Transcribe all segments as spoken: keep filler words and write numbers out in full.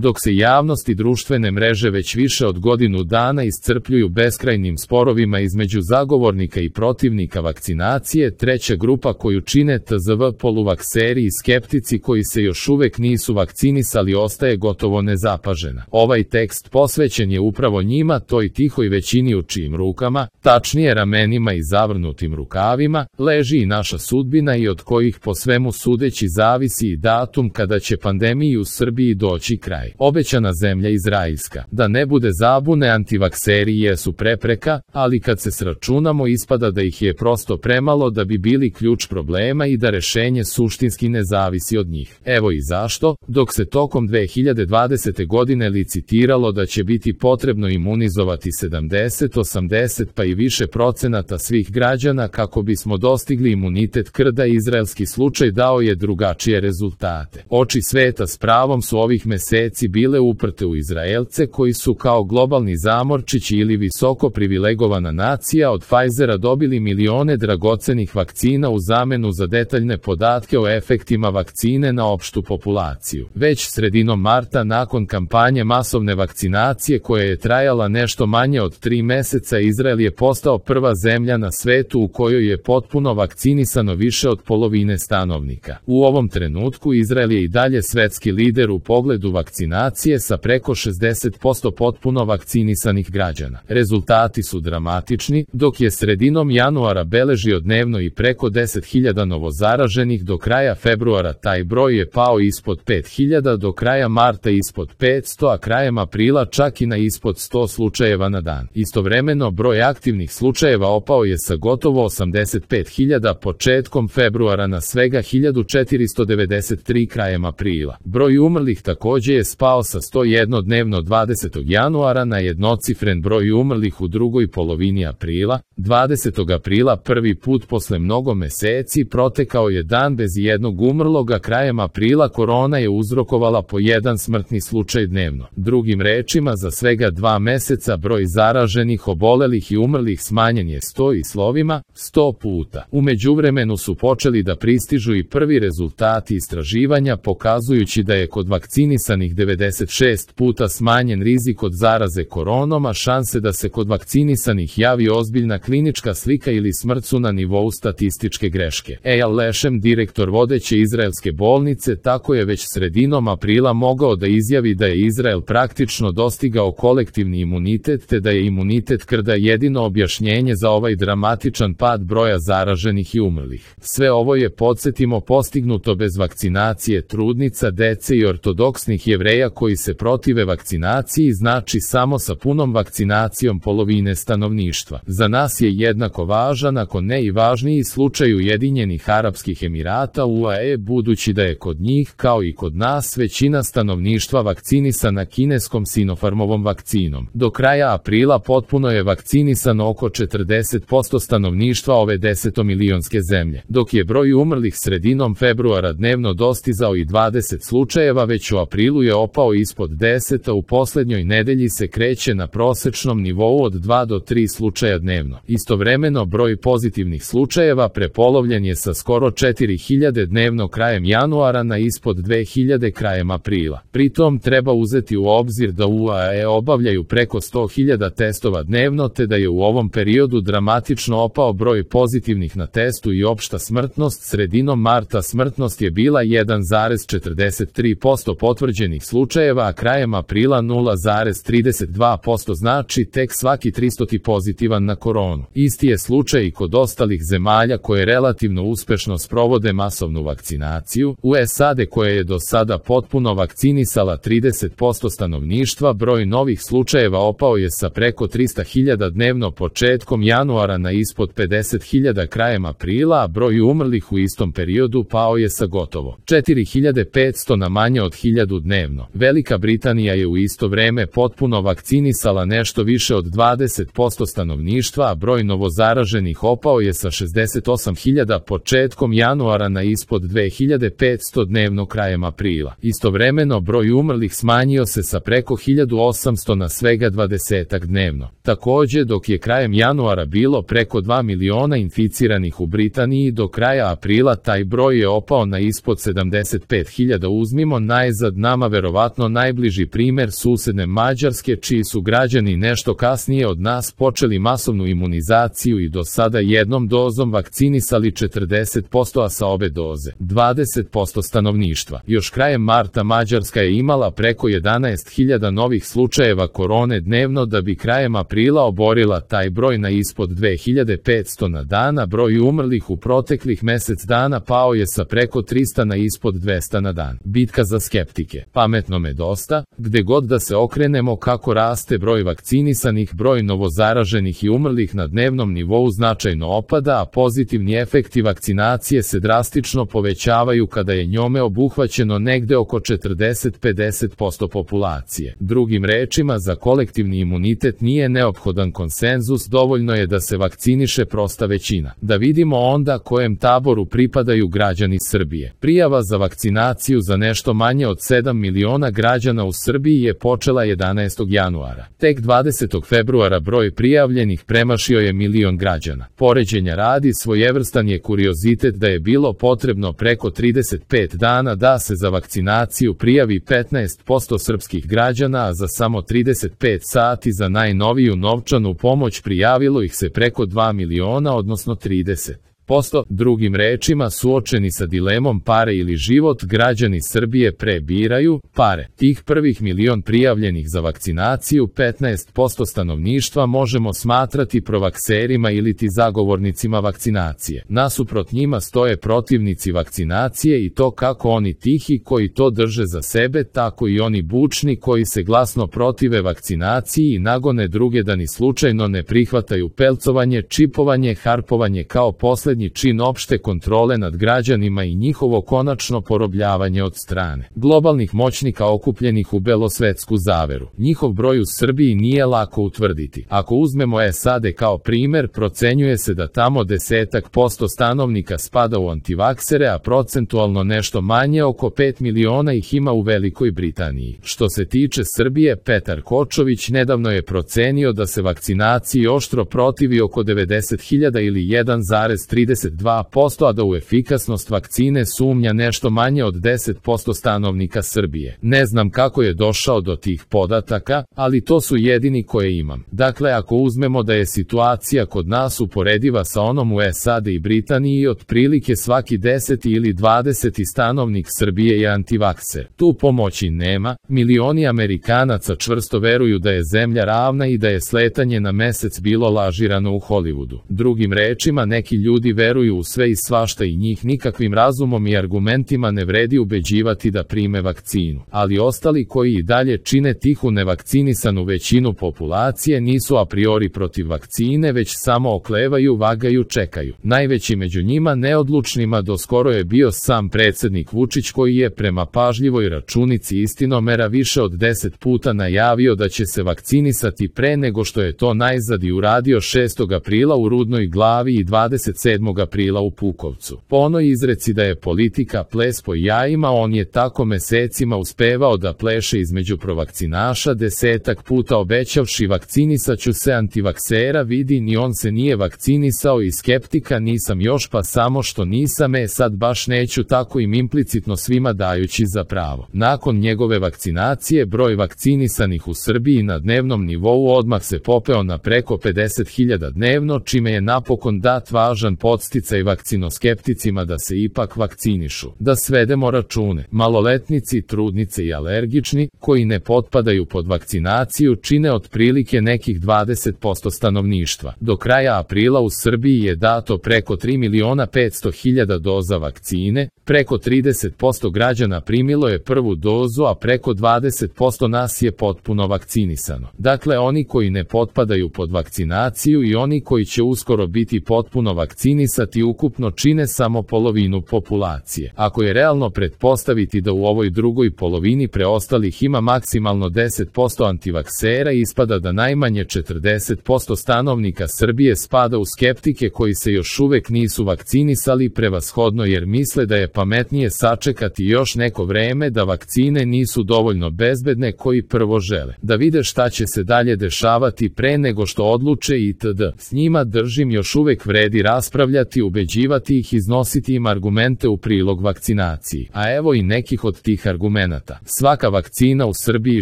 Dok se javnost i društvene mreže već više od godinu dana iscrpljuju beskrajnim sporovima između zagovornika i protivnika vakcinacije, treća grupa koju čine T Z V poluvakseri i skeptici koji se još uvek nisu vakcinisali ostaje gotovo nezapažena. Ovaj tekst posvećen je upravo njima, toj tihoj većini u čijim rukama, tačnije ramenima i zavrnutim rukavima, leži i naša sudbina i od kojih po svemu sudeći zavisi i datum kada će pandemiji u Srbiji doći kraj. Obećana zemlja izraelska. Da ne bude zabune, antivakseri jesu prepreka, ali kad se sračunamo ispada da ih je prosto premalo da bi bili ključ problema i da rešenje suštinski ne zavisi od njih. Evo i zašto, dok se tokom dve hiljade dvadesete godine licitiralo da će biti potrebno imunizovati sedamdeset, osamdeset pa i više procenata svih građana kako bismo dostigli imunitet krda, izraelski slučaj dao je drugačije rezultate. Oči sveta s pravom su ovih meseci bile uprte u Izraelce koji su kao globalni zamorčići ili visoko privilegovana nacija od Pfizera dobili milione dragocenih vakcina u zamenu za detaljne podatke o efektima vakcine na opštu populaciju. Već sredinom marta, nakon kampanje masovne vakcinacije koja je trajala nešto manje od tri meseca, Izrael je postao prva zemlja na svetu u kojoj je potpuno vakcinisano više od polovine stanovnika. U ovom trenutku Izrael je i dalje svetski lider u pogledu vakcinacije sa preko šezdeset posto potpuno vakcinisanih građana. Rezultati su dramatični, dok je sredinom januara beležio dnevno i preko deset hiljada novozaraženih, do kraja februara taj broj je pao ispod pet hiljada, do kraja marta ispod petsto, a krajem aprila čak i na ispod sto slučajeva na dan. Istovremeno broj aktivnih slučajeva opao je sa gotovo osamdeset pet hiljada početkom februara na svega hiljadu četiristo devedeset tri krajem aprila. Broj umrlih takođe je spao sa sto jedan dnevno dvadesetog januara na jednocifren broj umrlih u drugoj polovini aprila. dvadesetog aprila prvi put posle mnogo meseci protekao je dan bez jednog umrlog, a krajem aprila korona je uzrokovala po jedan smrtni slučaj dnevno. Drugim rečima, za svega dva meseca broj zaraženih, obolelih i umrlih smanjen je sto i slovima sto puta. U međuvremenu su počeli da pristižu i prvi rezultati istraživanja pokazujući da je kod vakcinisanih devedeset šest puta smanjen rizik od zaraze koronom, a šanse da se kod vakcinisanih javi ozbiljna klinička slika ili smrt su na nivou statističke greške. Eyal Leshem, direktor vodeće izraelske bolnice, tako je već sredinom aprila mogao da izjavi da je Izrael praktično dostigao kolektivni imunitet te da je imunitet krda jedino objašnjenje za ovaj dramatičan pad broja zaraženih i umrlih. Sve ovo je, podsjetimo, postignuto bez vakcinacije trudnica, dece i ortodoksnih Jevreja koji se protive vakcinaciji, znači samo sa punom vakcinacijom polovine stanovništva. Za nas je jednako važan, ako ne i važniji, slučaj Ujedinjenih Arapskih Emirata U A E, budući da je kod njih, kao i kod nas, većina stanovništva vakcinisana kineskom Sinopharmovom vakcinom. Do kraja aprila potpuno je vakcinisano oko četrdeset posto stanovništva ove desetomilionske zemlje, dok je broj umrlih sredinom februara dnevno dostizao i dvadeset slučajeva, već u aprilu je opao ispod deset, a u poslednjoj nedelji se kreće na prosečnom nivou od dva do tri slučaja dnevno. Istovremeno broj pozitivnih slučajeva prepolovljen je sa skoro četiri hiljade dnevno krajem januara na ispod dve hiljade krajem aprila. Pritom treba uzeti u obzir da U A E obavljaju preko sto hiljada testova dnevno te da je u ovom periodu dramatično opao broj pozitivnih na testu i opšta smrtnost. Sredinom marta smrtnost je bila jedan zarez četrdeset tri posto potvrđenih slučajeva, a krajem aprila nula zarez trideset dva posto, znači tek svaki tristoti pozitivan na koronu. Isti je slučaj i kod ostalih zemalja koje relativno uspešno sprovode masovnu vakcinaciju. U S A D, koja je do sada potpuno vakcinisala trideset posto stanovništva, broj novih slučajeva opao je sa preko trista hiljada dnevno početkom januara na ispod pedeset hiljada krajem aprila, a broj umrlih u istom periodu pao je sa gotovo četiri hiljade petsto na manje od hiljadu dnevno. Velika Britanija je u isto vreme potpuno vakcinisala nešto više od dvadeset posto stanovništva, a broj novozaraženih opao je sa šezdeset osam hiljada početkom januara na ispod dve hiljade petsto dnevno krajem aprila. Istovremeno broj umrlih smanjio se sa preko hiljadu osamsto na svega dvadesetak dnevno. Takođe, dok je krajem januara bilo preko dva miliona inficiranih u Britaniji, do kraja aprila taj broj je opao na ispod sedamdeset pet hiljada. Uzmimo najzad nama verovatno verovatno najbliži primer susedne Mađarske, čiji su građani nešto kasnije od nas počeli masovnu imunizaciju i do sada jednom dozom vakcinisali četrdeset posto, a sa obe doze dvadeset posto stanovništva. Još krajem marta Mađarska je imala preko jedanaest hiljada novih slučajeva korone dnevno, da bi krajem aprila oborila taj broj na ispod dve hiljade petsto na dan, a broj umrlih u proteklih mesec dana pao je sa preko trista na ispod dvesta na dan. Bitka za skeptike. Pametnome dosta, gde god da se okrenemo kako raste broj vakcinisanih, broj novozaraženih i umrlih na dnevnom nivou značajno opada, a pozitivni efekti vakcinacije se drastično povećavaju kada je njome obuhvaćeno negde oko četrdeset do pedeset posto populacije. Drugim rečima, za kolektivni imunitet nije neophodan konsenzus, dovoljno je da se vakciniše prosta većina. Da vidimo onda kojem taboru pripadaju građani Srbije. Prijava za vakcinaciju za nešto manje od sedam miliona građana u Srbiji je počela jedanaestog januara. Tek dvadesetog februara broj prijavljenih premašio je milion građana. Poređenja radi, svojevrstan je kuriozitet da je bilo potrebno preko trideset pet dana da se za vakcinaciju prijavi petnaest posto srpskih građana, a za samo trideset pet sati za najnoviju novčanu pomoć prijavilo ih se preko dva miliona, odnosno trideset posto. Drugim rečima, suočeni sa dilemom pare ili život, građani Srbije prebiraju pare. Tih prvih milion prijavljenih za vakcinaciju, petnaest posto stanovništva, možemo smatrati provakserima ili ti zagovornicima vakcinacije. Nasuprot njima stoje protivnici vakcinacije, i to kako oni tihi koji to drže za sebe, tako i oni bučni koji se glasno protive vakcinaciji i nagone druge da ni slučajno ne prihvataju pelcovanje, čipovanje, harpovanje kao poslednji čin opšte kontrole nad građanima i njihovo konačno porobljavanje od strane globalnih moćnika okupljenih u belosvetsku zaveru. Njihov broj u Srbiji nije lako utvrditi. Ako uzmemo S A D kao primer, procenjuje se da tamo desetak posto stanovnika spada u antivaksere, a procentualno nešto manje, oko pet miliona ih ima u Velikoj Britaniji. Što se tiče Srbije, Petar Kočović nedavno je procenio da se vakcinaciji oštro protivi oko devedeset hiljada ili jedan zarez trideset dva posto, a da u efikasnost vakcine sumnja nešto manje od deset posto stanovnika Srbije. Ne znam kako je došao do tih podataka, ali to su jedini koje imam. Dakle, ako uzmemo da je situacija kod nas uporediva sa onom u S A D i Britaniji, otprilike svaki deseti ili dvadeseti stanovnik Srbije je antivakser. Tu pomoći nema, milioni Amerikanaca čvrsto veruju da je zemlja ravna i da je sletanje na mesec bilo lažirano u Hollywoodu. Drugim rečima, neki ljudi veruju u sve i svašta i njih nikakvim razumom i argumentima ne vredi ubeđivati da prime vakcinu. Ali ostali koji i dalje čine tihu nevakcinisanu većinu populacije nisu a priori protiv vakcine, već samo oklevaju, vagaju, čekaju. Najveći među njima neodlučnima doskoro je bio sam predsednik Vučić, koji je prema pažljivoj računici istinomera više od deset puta najavio da će se vakcinisati pre nego što je to najzad i uradio šestog aprila u Rudnoj Glavi i dvadeset sedmog aprila u Pukovcu. Po onoj izreci da je politika ples po jajima, on je tako mesecima uspevao da pleše između provakcinaša, desetak puta obećavši vakcinisaću se antivaksera, vidi ni on se nije vakcinisao, i skeptika nisam još, pa samo što nisam, e sad baš neću, tako im implicitno svima dajući za pravo. Nakon njegove vakcinacije, broj vakcinisanih u Srbiji na dnevnom nivou odmah se popeo na preko pedeset hiljada dnevno, čime je napokon dat važan podsticaj vakcinoskepticima da se ipak vakcinišu. Da svedemo račune, maloletnici, trudnice i alergični, koji ne potpadaju pod vakcinaciju, čine otprilike nekih dvadeset posto stanovništva. Do kraja aprila u Srbiji je dato preko tri miliona petsto hiljada doza vakcine, preko trideset posto građana primilo je prvu dozu, a preko dvadeset posto nas je potpuno vakcinisano. Dakle, oni koji ne potpadaju pod vakcinaciju i oni koji će uskoro biti potpuno vakcinisati ukupno čine samo polovinu populacije. Ako je realno pretpostaviti da u ovoj drugoj polovini preostalih ima maksimalno deset posto antivaksera, ispada da najmanje četrdeset posto stanovnika Srbije spada u skeptike koji se još uvek nisu vakcinisali, prevashodno jer misle da je pametnije sačekati još neko vreme, da vakcine nisu dovoljno bezbedne, koji prvo žele da vide šta će se dalje dešavati pre nego što odluče itd. S njima držim još uvek vredi raspravljati raspravljati, ubeđivati ih, iznositi im argumente u prilog vakcinaciji. A evo i nekih od tih argumenata. Svaka vakcina u Srbiji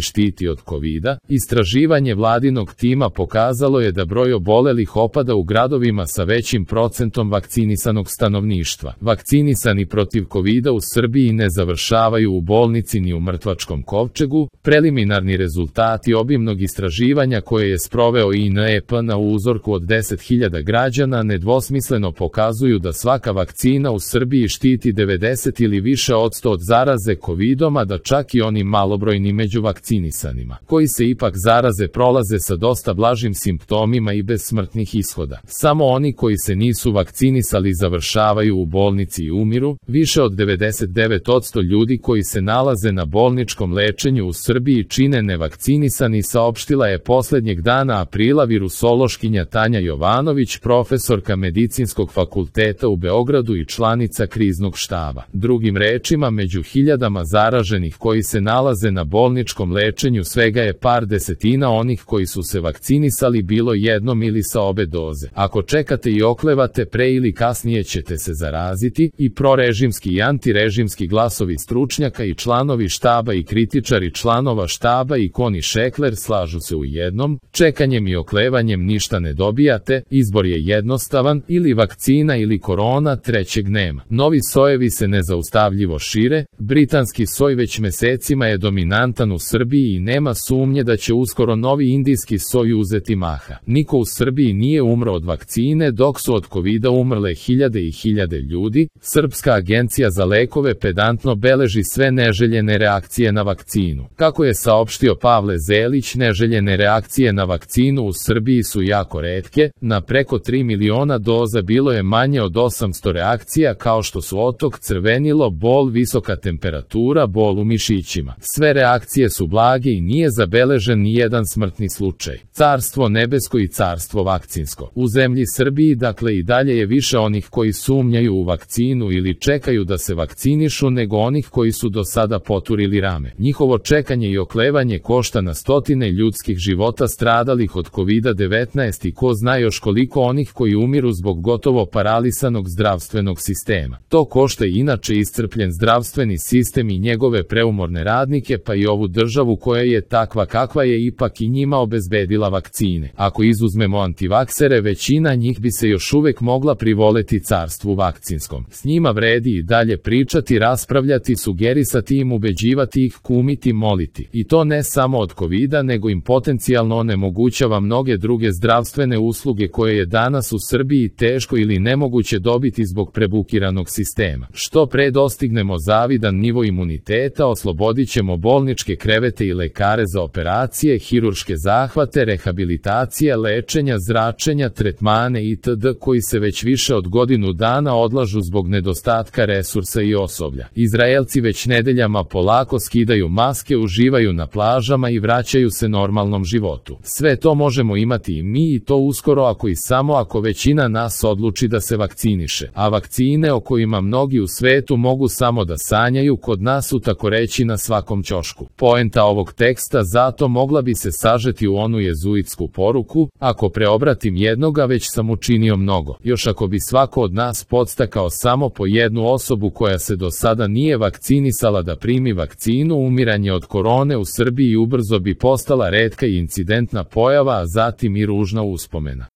štiti od kovida. Istraživanje vladinog tima pokazalo je da broj obolelih opada u gradovima sa većim procentom vakcinisanog stanovništva. Vakcinisani protiv kovida u Srbiji ne završavaju u bolnici ni u mrtvačkom kovčegu. Preliminarni rezultati obimnog istraživanja koje je sproveo I N E P na uzorku od deset hiljada građana nedvosmisleno pokazuju da svaka vakcina u Srbiji štiti devedeset ili više odsto od zaraze kovidom, a da čak i oni malobrojni među vakcinisanima, koji se ipak zaraze, prolaze sa dosta blažim simptomima i bez smrtnih ishoda. Samo oni koji se nisu vakcinisali završavaju u bolnici i umiru. Više od devedeset devet odsto ljudi koji se nalaze na bolničkom lečenju u Srbiji čine nevakcinisani, saopštila je poslednjeg dana aprila virusološkinja Tanja Jovanović, profesorka Medicinskog fakulteta u Beogradu i članica kriznog štaba. Drugim rečima, među hiljadama zaraženih koji se nalaze na bolničkom lečenju svega je par desetina onih koji su se vakcinisali bilo jednom ili sa obe doze. Ako čekate i oklevate, pre ili kasnije ćete se zaraziti. I prorežimski i antirežimski glasovi stručnjaka i članovi štaba i kritičari članova štaba i Koni Šekler slažu se u jednom: čekanjem i oklevanjem ništa ne dobijate, izbor je jednostavan, ili vakcina ili korona, trećeg nema. Novi sojevi se nezaustavljivo šire. Britanski soj već mesecima je dominantan u Srbiji i nema sumnje da će uskoro novi indijski soj uzeti maha. Niko u Srbiji nije umro od vakcine, dok su od kovida umrle hiljade i hiljade ljudi. Srpska agencija za lekove pedantno beleži sve neželjene reakcije na vakcinu. Kako je saopštio Pavle Zelić, neželjene reakcije na vakcinu u Srbiji su jako retke. Na preko tri miliona doza bilo je manje od osamsto reakcija, kao što su otok, crvenilo, bol, visoka temperatura, bol u mišićima. Sve reakcije su blage i nije zabeležen ni jedan smrtni slučaj. Carstvo nebesko i carstvo vakcinsko. U zemlji Srbiji, dakle, i dalje je više onih koji sumnjaju u vakcinu ili čekaju da se vakcinišu nego onih koji su do sada poturili rame. Njihovo čekanje i oklevanje košta na stotine ljudskih života stradalih od kovida devetnaest i ko zna još koliko onih koji umiru zbog gotovo paralisanog zdravstvenog sistema. To košta i inače iscrpljen zdravstveni sistem i njegove preumorne radnike, pa i ovu državu koja je takva kakva je ipak i njima obezbedila vakcine. Ako izuzmemo antivaksere, većina njih bi se još uvek mogla privoleti carstvu vakcinskom. S njima vredi i dalje pričati, raspravljati, sugerisati im, ubeđivati ih, kumiti, moliti. I to ne samo od kovida, nego im potencijalno onemogućava mnoge druge zdravstvene usluge koje je danas u Srbiji teško ili nemoguće dobiti zbog prebukiranog sistema. Što pre dostignemo zavidan nivo imuniteta, oslobodit ćemo bolničke krevete i lekare za operacije, hirurške zahvate, rehabilitacije, lečenja, zračenja, tretmane itd. koji se već više od godinu dana odlažu zbog nedostatka resursa i osoblja. Izraelci već nedeljama polako skidaju maske, uživaju na plažama i vraćaju se normalnom životu. Sve to možemo imati i mi, i to uskoro, ako i samo ako većina nas odluči da se vakciniše. A vakcine o kojima mnogi u svetu mogu samo da sanjaju, kod nas su tako reći na svakom ćošku. Poenta ovog teksta zato mogla bi se sažeti u onu jezuitsku poruku: ako preobratim jednoga, već sam učinio mnogo. Još ako bi svako od nas podstakao samo po jednu osobu koja se do sada nije vakcinisala da primi vakcinu, umiranje od korone u Srbiji ubrzo bi postala retka i incidentna pojava, a zatim i ružna uspomena.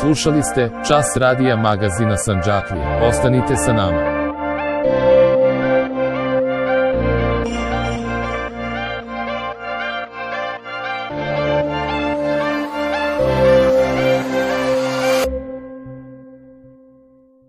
Slušali ste Čas radija magazina Sandžaklije. Ostanite sa nama.